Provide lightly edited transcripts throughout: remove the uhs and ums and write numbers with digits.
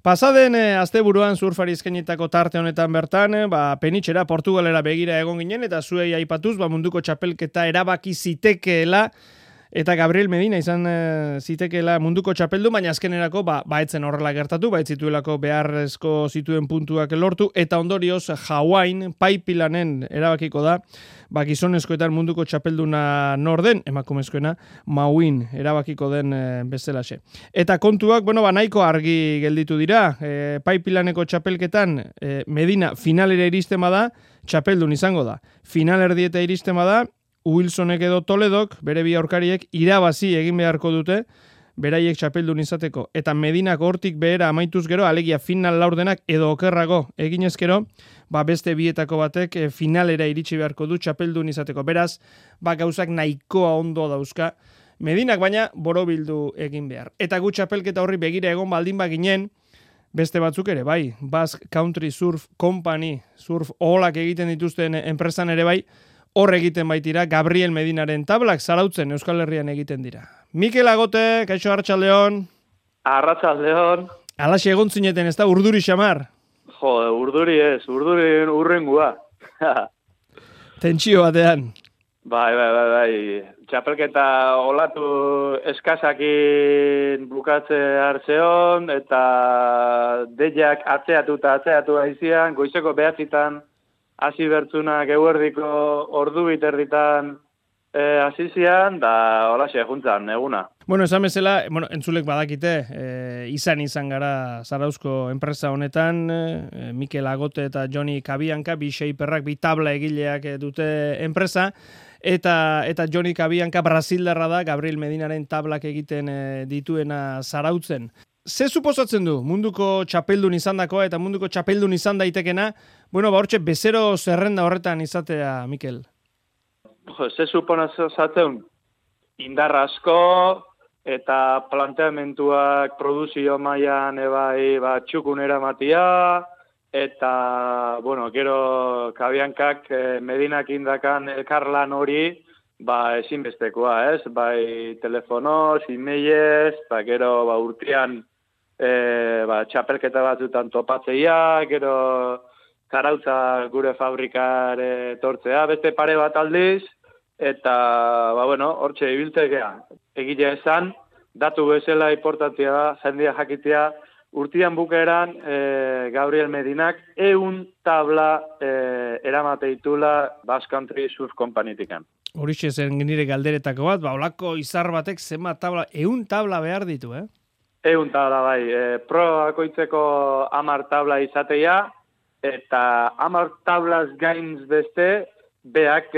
Pasaden asteburuan surfari eskainitako tarte honetan bertan, penitxera Portugalera begira egon ginen eta zuei aipatuz, munduko txapelketa erabaki zitekeela eta Gabriel Medina izan zitekeela munduko txapeldu, baina azkenerako etzen horrela gertatu, zituelako beharrezko zituen puntuak lortu eta ondorioz Hawain paipilanen erabakiko da, gizonezkoetan munduko txapelduna norden, emakumezkoena Mauin erabakiko den bezalaxe. Eta kontuak, nahiko argi gelditu dira, paipilaneko txapelketan Medina finalera iristen bada, txapeldun izango da. Finalerdieta iristen bada, Wilsonek edo Toledok, bere bi aurkariek, irabazi egin beharko dute, beraiek txapeldun izateko. Eta Medinak hortik behera amaituz gero, alegia final laurdenak edo okerrago eginez gero, beste bietako batek finalera iritsi beharko du txapeldun izateko. Beraz, gauzak nahikoa ondo dauzka, Medinak baina borobildu egin behar. Eta gu txapelketa horri begira egon baldin baginen, beste batzuk ere bai, Basque Country Surf Company, surf oholak egiten dituzten enpresan ere bai, hor egiten baitira Gabriel Medinaren tablak zarautzen Euskal Herrian egiten dira. Mikel Agote, kaixo Arratsaldeon. Arratsaldeon. Alaxe egon zineten, ez da urduri xamar? Urduri ez, urduri urrengua. Tentsio batean. Bai. Txapelketa olatu eskasakin bukatze hartzeon, eta deiak atzeatu haizian, goizeko 9:00 hasi bertzunak eguerdiko ordu biterritan hasizian, da holaxe juntzan, eguna. Esan bezala, entzulek badakite, izan gara Zarauzko enpresa honetan, Mikel Agote eta Joni Kabianka, bi shaperrak, bi tabla egileak dute enpresa, eta Joni Kabianka Brasildarra da, Gabriel Medinaren tablak egiten dituena Zarautzen. Ze suposatzen du munduko txapeldun izandakoa eta munduko txapeldun izan daitekena, hortxe bezero zerrenda horretan izatea, Mikel? Ze suposatzen indar asko eta planteamentuak produzio mailan txukun eramatia, eta, gero Kabiankak Medinak indakan elkarlan hori, ezinbestekoa, ez? Bai telefonoz, e-mailez, gero urtean txapelketa batzutan topatzeia, gero Zarautza gure fabrikare tortzea, beste pare bat aldiz, eta, hortxe ibiltzekea. Egile esan, datu bezala importantzia da, jendia jakitea, urtean bukaeran Gabriel Medinak 100 tabla eramate ditula Basque Country Surf Company-tikan. Horixe zen nire galderetako bat, olako izar batek zenbat tabla, 100 tabla behar ditu, 100 tabla, bai. Probakoitzeko 10 tabla izatea, eta 10 tablaz gainz beste, beak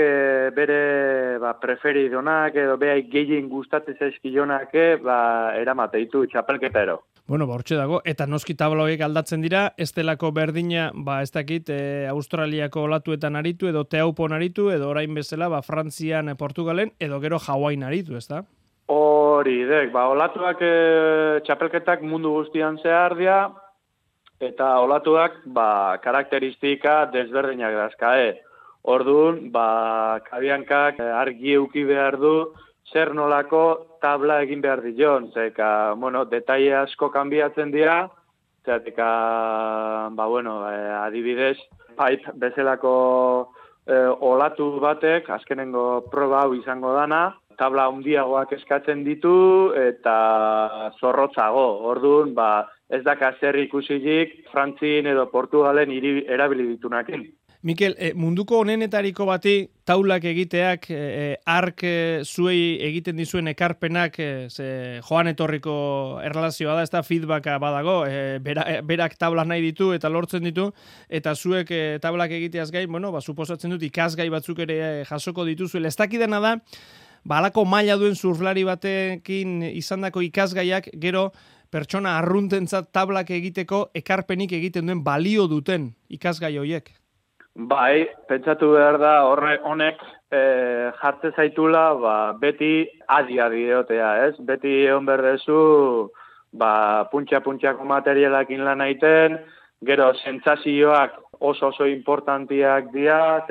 bere preferidonak edo beak gehien gustatzen zaizkionak eramate ditu txapelketero. Hortxe dago, eta noski tabla horiek aldatzen dira, ez delako berdina, ez dakit, Australiako olatuetan aritu, edo Teaupon aritu, edo orain bezala, Frantzian, Portugalen, edo gero Hawain aritu, ez da? Hori, olatuak txapelketak mundu guztian zehar dira, eta olatuak, karakteristika desberdinak dazkae. Orduan, Kabiankak argi euki behar du, zer nolako tabla egin behar dion, zeka, detaile asko kanbiatzen dira, zeka, adibidez, pipe bezalako olatu batek, azkenengo proba hau izango dana, tabla handiagoak eskatzen ditu, eta zorrotzago, orduan, ez daka zer ikusilik, Frantzin edo Portugalen erabili ditunakin. Mikel, munduko honenetariko bati taulak egiteak, ark zuei egiten dizuen ekarpenak, joan etorriko erlazioa da, ez da feedbacka badago, berak tablak nahi ditu eta lortzen ditu, eta zuek tablak egiteaz gain, suposatzen dut ikasgai batzuk ere jasoko dituzuela. Ez dakidana da, alako maila duen surflari batekin izandako ikasgaiak, gero pertsona arruntentzat tablak egiteko ekarpenik egiten duen balio duten ikasgai horiek. Bai, pentsatu behar da honek jartze zaitula beti adi diotea, ez? Beti egon berdezu puntxa-puntxako materialakin lan egiten, gero sentsazioak oso importantiak dira,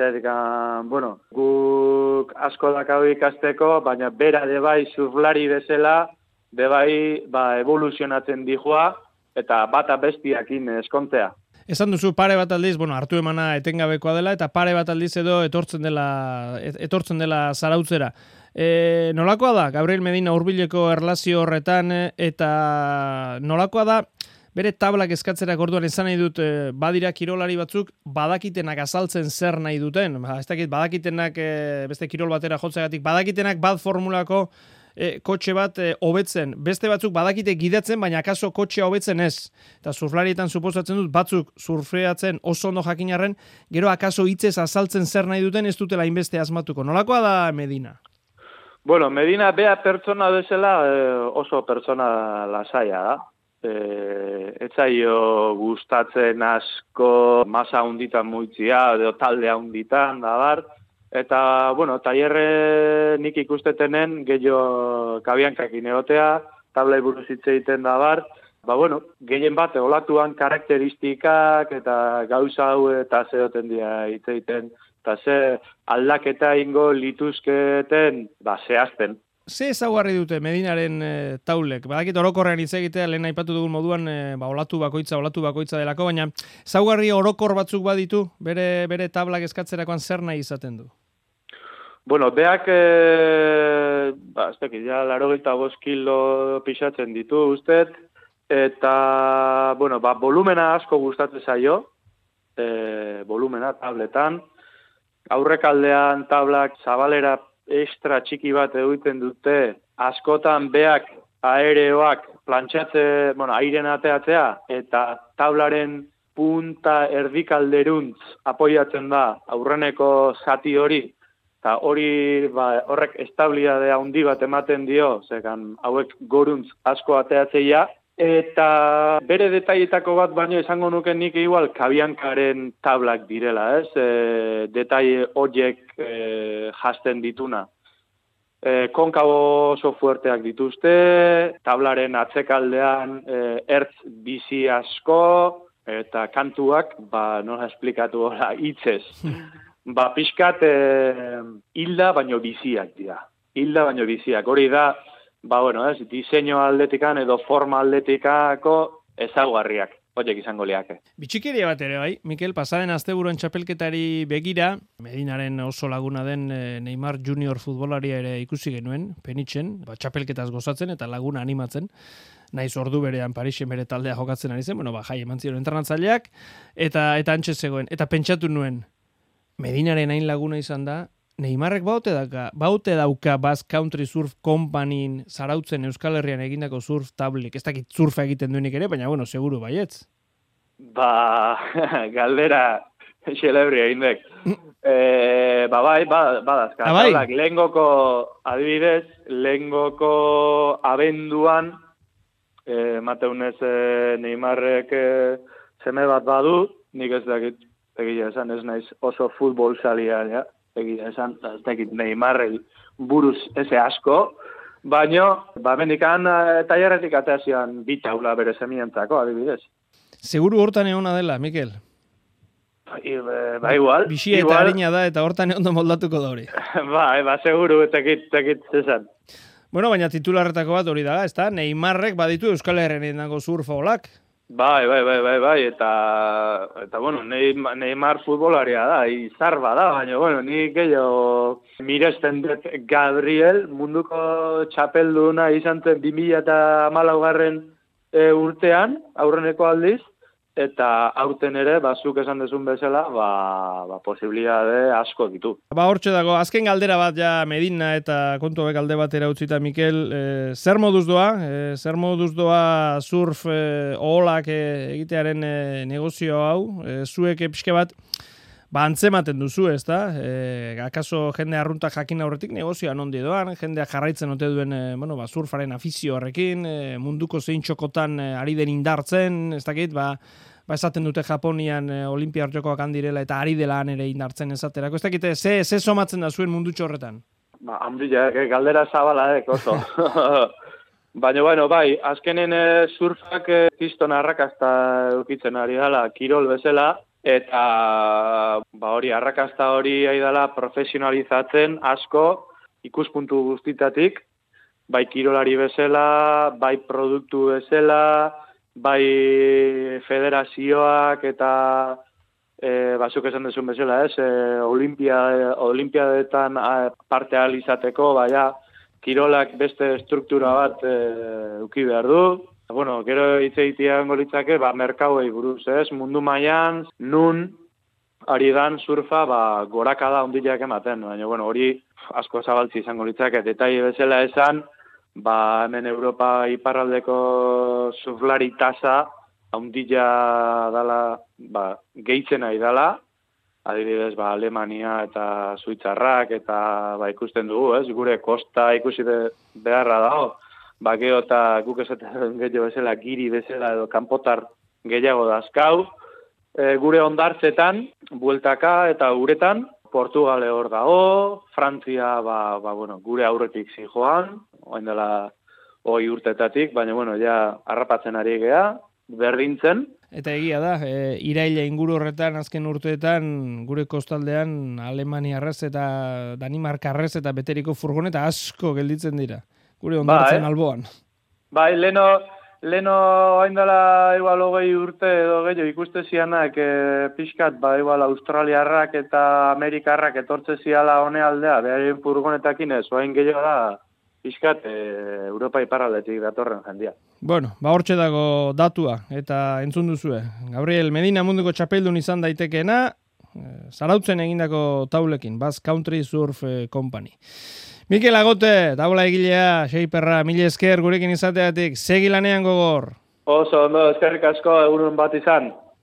guk asko dakau ikasteko, baina bera de bai surflari bezala, de bai evoluzionatzen dijoa, eta bata bestiakin eskontzea. Esan duzu pare bat aldiz, hartu emana etengabekoa dela, eta pare bat aldiz edo etortzen dela zarautzera. Nolakoa da, Gabriel Medina hurbileko erlazio horretan, eta nolakoa da, bere tablak eskatzerak orduan esan nahi dut, badira kirolari batzuk, badakitenak azaltzen zer nahi duten. Ez dakit, badakitenak, beste kirol batera jotzegatik, badakitenak bat formulako kotxe bat hobetzen. Beste batzuk badakite gidatzen, baina akaso kotxea hobetzen ez. Eta surflarietan suposatzen dut, batzuk surfeatzen oso ondo jakinarren, gero akaso hitzez azaltzen zer nahi duten ez dutela inbeste asmatuko. Nolakoa da Medina? Bueno, Medina bea pertsona bezala oso pertsona lasaia da. Etzaio gustatzen asko masa hunditan muitzia, edo talde hunditan, da bar. Eta, tailerre nik ikustetenen gehiago kabiankakin egotea, tablai buruz hitz egiten da bar. Gehien bat, olatuan karakteristikak eta gauza hau eta zeoten dira hitz egiten. Eta ze aldaketa ingo lituzketen, zehazten. Ze ezaugarri dute Medinaren taulek? Badakit orokorrean hitz egitea lehen aipatu dugun moduan olatu bakoitza delako, baina ezaugarri orokor batzuk baditu bere tablak eskatzerakoan zer nahi izaten du? Beak, ez dakit, 85 kilo pixatzen ditu ustez, eta, volumena asko gustatzen zaio, volumena tabletan, aurrekaldean tablak zabalera extra txiki bat egiten dute, askotan beak aereoak plantxatze, airen ateatzea, eta tablaren punta erdikalderuntz apoiatzen da aurreneko zati hori, eta hori horrek estabilitate handi bat ematen dio, zekan hauek goruntz asko ateatzeia, eta bere detailetako bat baino esango nuke nik igual kabiankaren tablak direla, ez? Detaile horiek jasten dituna. Konkabo oso fuerteak dituzte, tablaren atzekaldean ertz bizi asko, eta kantuak, nola esplikatu hola, hitzez. Pixkat hilda baino biziak dira. Hori da, diseño aldetikan edo forma aldetikako ezaugarriak, horiek izango liake. Bitxikeria bat ere bai, Mikel, pasaden asteburuan txapelketari begira, Medinaren oso laguna den Neymar Junior futbolaria ere ikusi genuen, Penitzen, txapelketaz gozatzen eta laguna animatzen, naiz ordu berean Parisen bere taldea jokatzen ari zen, jai eman ziren entrenatzaileak, eta antxe zegoen, eta pentsatu nuen, Medinaren hain laguna izan da, Neymarrek baute dauka Basque Country Surf Companyin zarautzen Euskal Herrian egindako surf tablik. Ez dakit surfa egiten duenik ere, baina seguru baietz. Galdera xelebria indek. Badazka. Bai? Lehengoko abenduan, mateunez Neymarrek seme bat badu, nik ez dakit, egia esan ez naiz oso futbol salia, ja. Egia esan, ez dakit Neymarrek buruz eze asko, baino, mendikan tailerretik ateazian bitaula bere semientzako, adibidez. Seguru hortan egon dela, Mikel? Igual. Bixia eta harina da, eta hortan ondo moldatuko da hori. Seguru, tekit zezan. Baina titularretako bat hori da, ez da? Neymarrek baditu Euskal Herrian edinako surfaolak. Bai, eta Neymar futbolaria da, izar bada, baina, nik gehiago miresten dut Gabriel, munduko txapelduna izan zen 2014 urtean, aurreneko aldiz, eta aurten ere, zuk esan dezun bezala, posibilitate asko ditu. Hortxe dago, azken galdera bat ja Medina eta kontu hauek alde batera utzita, Mikel, zer moduz doa surf oholak egitearen negozio hau, zuek pixke bat, antzematen duzu, ez da? Akaso jende arruntak jakin aurretik negozioa nondi doan, jendea jarraitzen ote duen surfaren afizio horrekin, munduko zein txokotan ari den indartzen, ez dakit, esaten dute Japonian Olimpia Jokoak handirela eta ari dela ere indartzen esaterako. Ez dakit, ze somatzen da zuen mundutxo horretan? Handia, galdera zabala, oso. Baina, azkenen surfak kriston arrakasta eukitzen ari dela, kirol bezala, eta hori arrakasta hori ari dela profesionalizatzen asko ikuspuntu guztitatik, bai kirolari bezala, bai produktu bezala, bai federazioak eta bazuk esan duzun bezala, olimpiadetan parte ahal izateko, baina kirolak beste struktura bat eduki behar du. Bueno, gero hitz egitean golitzake, merkauei buruz, mundu mailan nun ari dan surfa, gorakada handiak ematen, baina, bueno, hori asko zabaltzi izango litzake, detaile bezala esan, hemen Europa iparraldeko surflari tasa handia dala, gehitzen nahi dala, adibidez, Alemania eta Suitzarrak, eta ikusten dugu, gure kosta ikusi beharra dago, gero eta guk esaten gehiago bezala, giri bezala edo kanpotar gehiago dazkau, gure ondartzetan, bueltaka eta uretan, Portugale hor dago, Frantzia, gure aurretik zijoan, oain dela 20 urtetatik, baina, ja, harrapatzen ari gea, berdintzen. Eta egia da, iraila inguru horretan, azken urteetan, gure kostaldean, Alemaniarrez eta Danimarkarrez eta beteriko furgoneta asko gelditzen dira, gure ondartzen alboan. Leno hain dela igual 20 urte edo gehiago ikuste zianak pixkat, igual australiarrak eta amerikarrak etortze ziala hone aldea, beharien furgonetakin ez, hain gehiago da pixkat Europa iparraldetik datorren jendia. Bueno, hortxe dago datua eta entzun duzue. Gabriel Medina munduko txapeldun izan daitekeena, Zarautzen egindako taulekin, Basque Country Surf Company. Mikel Agote, taula egilea, Xeiperra, mila esker gurekin izateatik, segi lanean gogor. Oso, ondo, eskerrik asko, egunen bat izan.